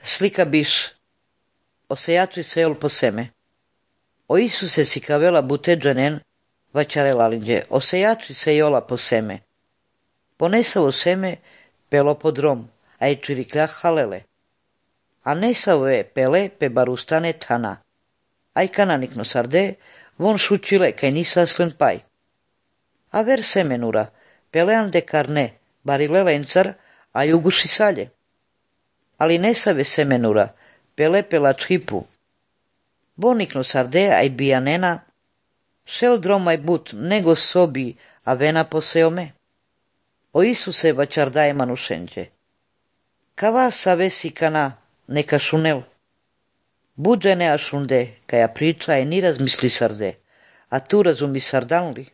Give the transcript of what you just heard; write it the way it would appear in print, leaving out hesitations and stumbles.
Slika biš o sejaču i sejol po seme. O Isuse si kavela buteđanen vaćarelalinđe, o sejaču i sejola po seme. Ponesavo seme pelo pod rom, a i čirikljah halele. A nesavo je pele pe barustane tana. Aj kananikno sarde, von šućile kaj nisa sven paj. A ver semenura, pelean de karne, barile lencar, a juguši salje. Ali nesave semenura, pele pelač hipu. Bonikno sarde, aj bijanena, šel dromaj but, nego sobi, a vena poseome. O Isuse vaćardaje manušenđe. Kava savesi kana, neka šunel. Buđe ne ašunde, kaja priča je ni razmisli sarde, a tu razumi sardanli.